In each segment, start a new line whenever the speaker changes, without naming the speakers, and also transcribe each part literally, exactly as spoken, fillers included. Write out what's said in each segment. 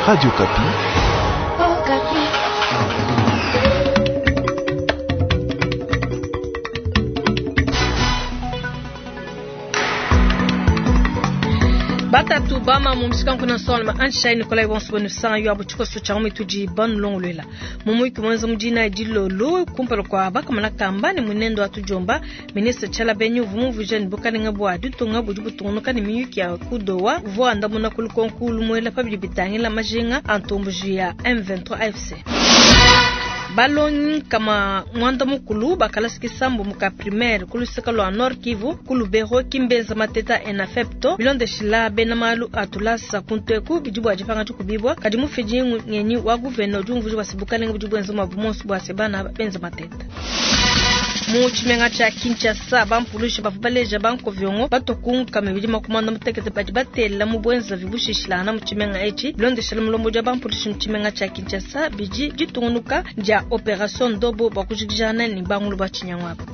Radio Okapi.
Batatu bama mu mshikanku na solma anshai Nikolai bonso san yo abu chikoso cha mitudi banulongolwela mumuiki mwenza mudina dilolo kumpala kwa bakamana kamba ne munendo atujomba ministre Tshala Benyu vumuvu jeune bukalenga bwa ditunga budi butungunuka ne miyuki ya kudowa vua andamuna kulukonku lumwela pabidi bitangila majinga antombuji ya M vingt-trois A F C. Balongi kama mwanda mukulu bakalasi kisambu muka primaire kulusika lwa Nord Kivu kulubero kimbeza mateta enafepto bilondeshila bena malu atulasa kunteku bidibu ajipanga tukubibwa kadi mufiji ngenyi wa gouverneur jumvuji wasibukalenga bidibu enzo mabumonsu bwa sebana benza mateta. Mu tshimenga tsha Kinshasa bampulushi bavua baleja bankoviongo batokunka mibidi makumanda mutekete badi batela mu bwenza vibushishilana mu tshimenga etshi bilondeshela mulombo dia bampulushi mu tshimenga tsha Kinshasa bidi ditungunuka dia opération Ndobo bakujikijana ni bangulu ba tshinyangwapa.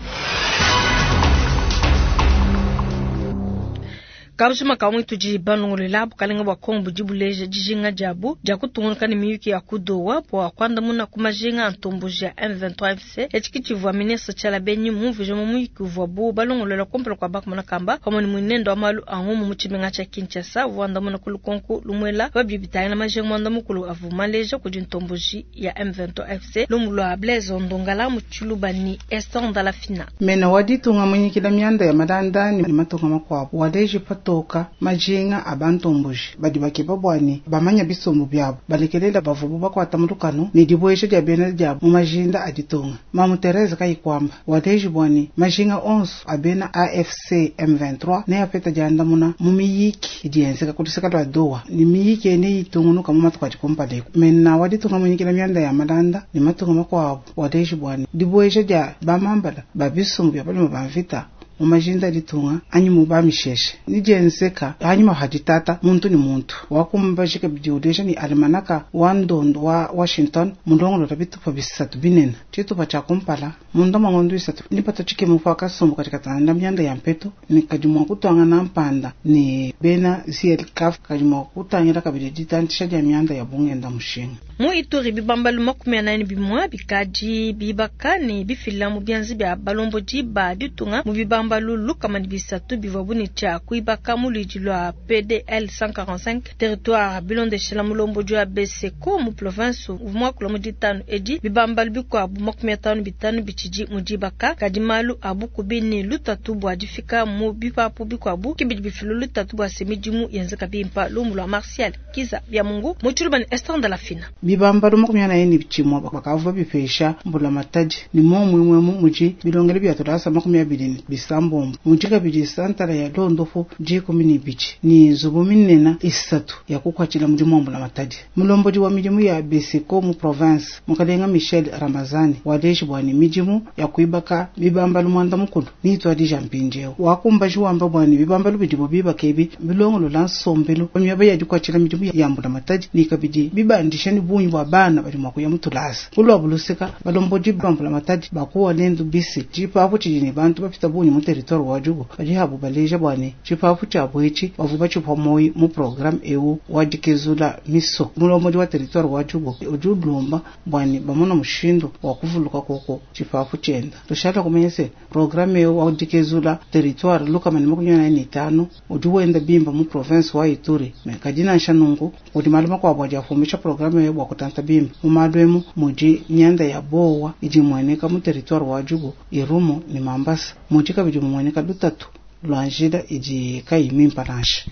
Kabujima kamwe tudi banongolela bukalenga bwa Kongo budi buleja dijinga diabu dia kutungunuka ne miyuki ya kudowa bua kuandamuna ku majinga a ntomboji ya M vingt-trois F C etshi kitshivua ministre Tshala Benyi mumvuije mu muyuki uvuabu balongolola kumpala kua bakumona kamba pamue ne munendo wa malu a ngumu mu tshimenga tshia Kinshasa uvua andamuna ku lukonko lumwela babidi bitangila majinga muanda mukulu avua maleja kudi ntomboji ya M vingt-trois F C lumu lua Blaise Ndongala mu Tshiluba ni Esther Ndalafina.
Mena wa ditunga munyikila mianda ya malanda ni matunga makuabu waleji patoka majinga abantomboji badi bakeba bwani bamanya bisumbu byabo balekelela bavubu bakwata mulukano ni dibwesha dia bena dia mu majinda aditunga Mamu Therese Kayikwamba waleji bwani majinga onso abena A F C M vingt-trois ne apeta diandamuna mu miyiki idienzeka kuluseka lwa Doha ni miyiki ene itungunuka mu matuku adikumpaleko mena waditunga munyikila mianda ya malanda ni matunga makuabu waleji bwani dibwesha dia bamambala ba bisumbu bya balima ba mvita mu majinda ditunga anyi mu ba misheshe ni dienzeka hanyuma haditata muntu ni muntu wakumbajika bidiudeja ni almanaka wa ndondo wa Washington mundongolo bitupa bisatu binene tshitupa tshia kumpala munda mangondo isatu ni pato tshike mupaka sombo katika tanda myanda ya mpeto ni kadi mwa kutwanga na mpanda ni bena Z L K kadi mwa kutangira kabidi ditantisha dia myanda ya bungenda mushinga
mu Ituri bibambalu makumi anani bimwa bikadi bibaka ni bifila mu byanzi bya balomboji ba ditunga mu bibamba lulu kama ni bisatu bivua ni tshia kuibaka mu luidi lwa P D L cent quarante-cinq territoire bilondeshela mulomboji wa B C K mu province uvua kula mu ditanu edi bibambalu bikuabu makumi atanu bitanu bitshidi mu dibaka kadi malu abu kubi ni lutatu bua difika mu bipapu bikuabu kibidi bifilu lutatu bua se midimu yenzeka bimpa lumu lwa Martial Kiza bya Mungu mu Tshiluba ni Esther Ndalafina.
Bibambalu makumi anayi ni tshimua bakavua bipesha mbula matadi ni momwe mu muji bilongele bya tulasa makumi abiri ni bisambombo muji kabidi santara ya londofu dikumi ni bichi ni nzubu minena isatu ya kukwatshila mudimu wa mbula matadi mulomboji wa midimu ya Beseko mu province mukalenga Michel Ramazani waleji bwani midimu ya kuibaka bibambalu mwanda mukulu ni itwadija mpinjewo wakumbaji wamba bwani bibambalu bidibo bibaka ebi bilongolo la nsombelu myaba ya dikwatshila midimu ya mbula matadi ni kabidi bibandisha ni bunyi bwa bana bali mwa kuya mutulasa kulwa bulusika balomboji ba mbula matadi bakuwa lendu bisi tshipapu tshidi ne bantu bapita bunyi mu territoire wa Djugu badi habu baleja bwani tshipapu tshia bwetshi bavu batshipwa moyi mu programme ewu wa dikezula miso mulomboji wa territoire wa Djugu udi ulomba bwani bamona mushindu wa kuvuluka koko tshipapu tshienda tushala kumenya se programme ewu wa dikezula territoire lukama ni makumi anayi ni tano udi wenda bimba mu province wa Ituri me kadi nansha nungu udi malu makuabu adi afumisha programme ewu bua kutanta bimba mu malu emu mudi myanda ya bowa idi imueneka mu territoire wa Djugu Irumu ni Mambasa mudi kabidi mumueneka lutatu lwa njila idi kayi mimpa nansha.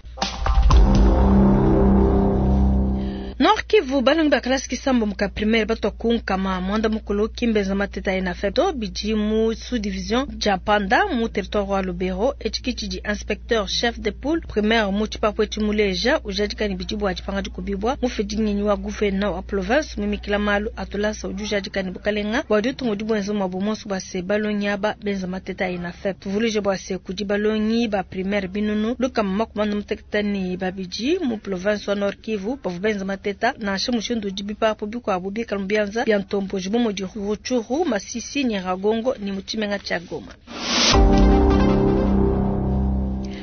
Nord Kivu balongi ba kalasi kisambo muka primaire batwa kunkama mwanda mukulu kimbeza mateta ena feto bidi mu sous-division dia Panda mu territoire wa Lubero etshi tshidi inspecteur chef de poule primaire mu tshipapu etshi muleja ujadika ni bidi bua dipanga dikubibwa mufidi ngenyi wa gouverneur wa province mumikila malu atulasa udi ujadika ni bukalenga bua ditunga udi buenza mua bumonso bua se balongi aba benza mateta ena feto tuvuluje bua se kudi balongi ba primaire binunu lukama makumanda muteketa ni babidi mu province wa Nord Kivu bavua benza mateta nansha mushindu udi bipapu bikuabu bikala mu bianza bia ntomboji bu mudi Rutshuru, Masisi, Nyiragongo ni mu tshimenga tshia Goma.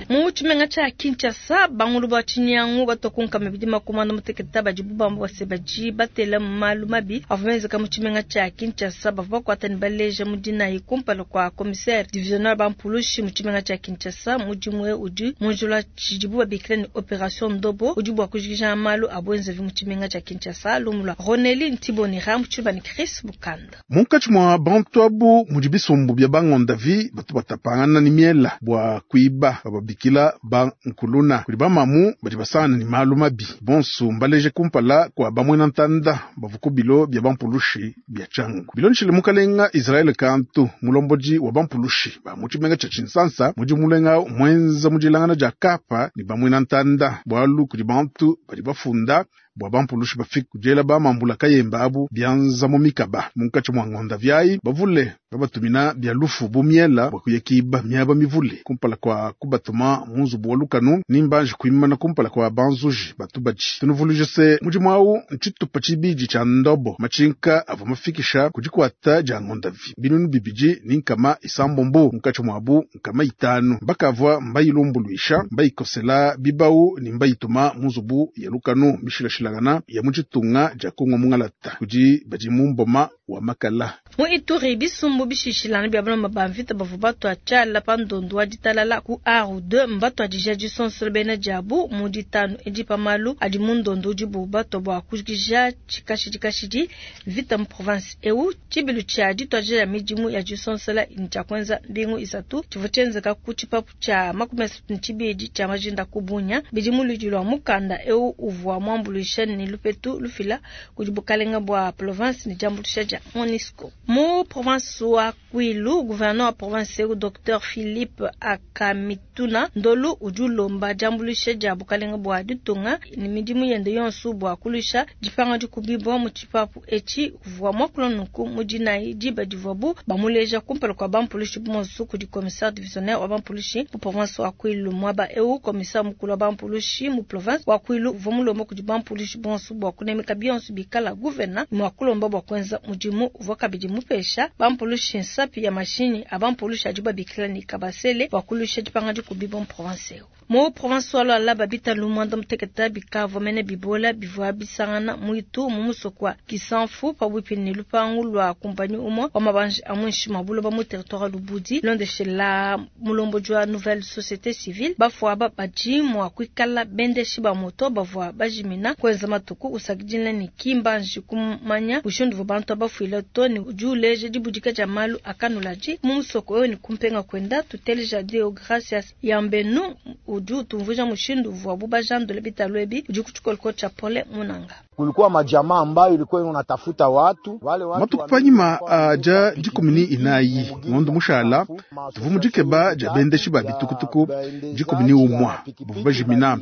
Mu tshimenga tshia Kinshasa, bangulu ba tshinyangu batua ku nkama ibidi makumi anda mutekete badibu bamba bua se badi batela malu mabi avua menzeka mu tshimenga tshia Kinshasa. Bavua bakuata ne baleja mu dinayi kumpala kua commissaire divisionnaire bampulushi mu tshimenga tshia Kinshasa. Mudimu eu udi mu njila tshidibu babikila ne Operation Ndobo, udi bua kujikija malu a buenzevi mu tshimenga tshia Kinshasa. Lumu lua Roneli Ntibonera mu tshiluba ne Chris Bukanda.
Munkatshi mua bantu abu mudi bisumbu bia bangondavi batu batapangana ne miela bua kuiba bababikila ba nkuluna. Kudi bamamu badi basangana ne malu mabi bonso mbaleje kumpala kua bamwena ntanda bavua ku bilo bia bampulushi bia Tshangu. Bilondeshile mukalenga Israel Kantu, mulombodi wa bampulushi ba mu tshimenga tshia Tshinsansa, mudi mulenga mwenza mu dilangana dia kapa ne bamwena ntanda bualu kudi bantu badi bafunda bua bampulushi bafike kudiela bamambula kayemba abu bianza mu mikaba. Munkatshi mua ngonda viayi bavule babatumina bia lufu bu miela bua kuyakiba miaba mivule kumpala kua kubatuma mu nzubu wa lukanu nimbanji kuimana kumpala kua banzuji batu badi. Tunuvuluije se mudimu awu ntshitupa tshibidi tshia ndobo matshinka avua mafikisha ku dikuata dia ngondavi binunu bibidi ni nkama isambombo munkatshi muabu nkama itanu bakavua mbayilumbuluisha mbayikosela bibau ni mbayituma mu nzubu ya lukanu mishilashila ya mu tshitunga dia Kongo mungalata kudi badi mu mboma wa makala.
Mu Ituri bisumbu bishishilana bia balomba ba mvita bavua batua tshiala pa ndondo wa ditalala ku A deux mbatua dija disonsolo bena diabu mu ditanu edi pa malu adi mu ndondo udibu batua bua kujikija tshikashidi kashidi mvita mu province eu. Tshibilu tshia dituadija ya midimu ya disonsola tshia kuenza mbingu isatu tshivua tshienzeka ku tshipapu tshia makumi asatu ne tshibidi tshia majinda ku Bunya. Bidi mu ludi lua mukanda eu uvua muambuluisha ne lupetu lufila kudi bukalenga bua province ne diambuluisha dia MONUSCO. Mu province wa Kwilu, gouverneur wa province eu Docteur Philippe Akamituna Ndolu udi ulomba diambuluisha dia bukalenga bua ditunga ne midimu yende yonso bua kulusha dipanga dikubibwa mu tshipapu etshi. Uvua muakula nunku mu dinayi diba divuabu bamuleja kumpala kua bampulushi bonso kudi commissaire divisionnaire wa bampulushi mu province wa Kwilu. Muaba eu commissaire mukulu wa bampulushi mu province wa Kwilu uvua mulomba kudi bampulushi bonso bua kunemeka bionso bikala gouverneur mua kulomba bua kuenza mudimu. Uvua kabidi mupesha bampulushi nsapi ya mashinyi a bampulushi adi babikila ne kabasele bua kulusha dipanga dikubibwa mu province eu. Mu province wa Lualaba bitalu mwanda mutekete bikavua mene bibola bivua bisangana muitu mu musoko wa Kisanfu pabuipi ne lupangu lua kumpanyi umwe wa mabanji a muinshi mua buloba mu territoire Lubudi. Londeshela mulombodi wa nouvelle société civile bafua badi mua kuikala bendeshi ba moto bavua bajimina kuenza matuku usakidila ne kimbanji kumanya bushindu bantu abafuila to ne udi uleja dibudika dia malu akanulaji mu musoko eu ne kumpenga kwenda. Tuteleja Deo Gracias Yambenu udi utumvuja mushindu uvuabu bajandule bitalu ebi udi ku tshikoloko tshia Pole Munanga.
Kulikuwa majamaa ambayo ilikuwa inatafuta watu wale watu
matuku panyima aja dikumi ni inayi ngondo mushala tuvu mudikeba dia bendeshi ba bitukutuku dikumi ni umwa bavua bajimina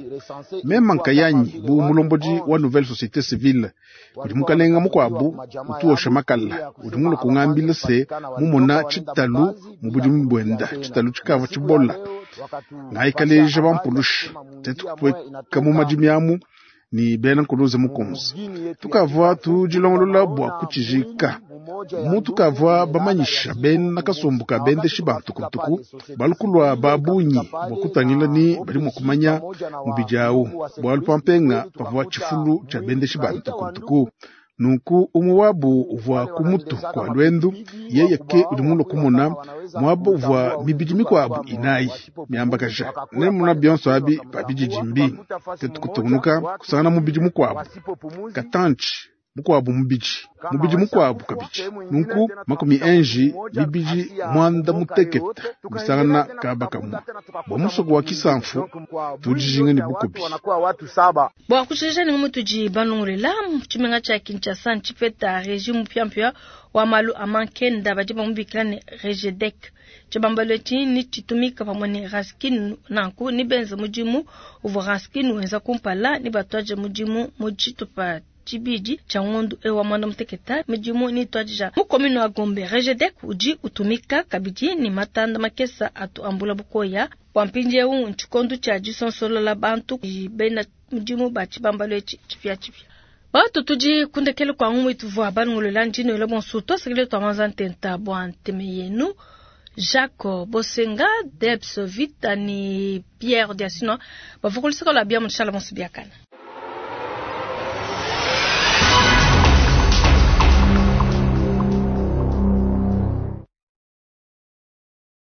mema nkayanyi bu mulombodi wa nouvelle société civile kudi mukalenga mukuabu utuosha makala udi mulo kungambila se mumona tshitalu mu budimu buenda tshitalu tshikavua tshibola ngaikaleja bampulushi tetu kupueka mu madimi amu ni bena nkuluze mukunzi tukavua tudilongolola bua kutshijika mu tukavua bamanyisha bena kasumbu ka bendeshi ba ntukutuku balukulua babunyi bua kutangila ni badi mua kumanya mubidi awu bualu pampenga pavua tshifulu tshia bendeshi ba ntukutuku. Nunku umwe wabu uvua ku mutu kwa lwendu yeye ke udi mulo kumona mwabo uvua mibidi mikwabu inayi miambakaja ne muna bionso abi babididimbi tetu kutungunuka kusangana mubidi mukwabu katanchi mukwabu mubidi mubidi mukwabu kabidi nunku makumi enji mibidi mwanda mutekete misangana kaba kamwe bua musoko wa Kisanfu tudijinga ne bukubi.
Bua kushesha ni mutudi banungulela tshimenga tshia Kinshasa ntshipeta regime mpyampya wa malu a mankenda badi bamubikila ne Rejedec. Tshibambalo etshi ni tshitumika pamue ne Raskin nanku ni benza mudimu uvua Raskin wenza kumpala ni batuaje mudimu mu tshitupa tshibidi tshia ngondu ewa mwana muteketa midimu ni twajija mu commune wa Gombe. Rejedec udi utumika kabidi ni matanda makesa atu ambula bukoya bua mpindieu ntshikondo tshia disonsolola bantu bena mudimu ba tshibambalo etshi tshipiatshipia. Batu tudi kundekele kwa ngumu ituvua banungolola ndino elo bonso twasekele twamanza ntenta bua nteme yenu. Jacques Bosenga, Debs Vita ni Pierre Diasino bavua kuluseka lua bia mushala bonso biakana.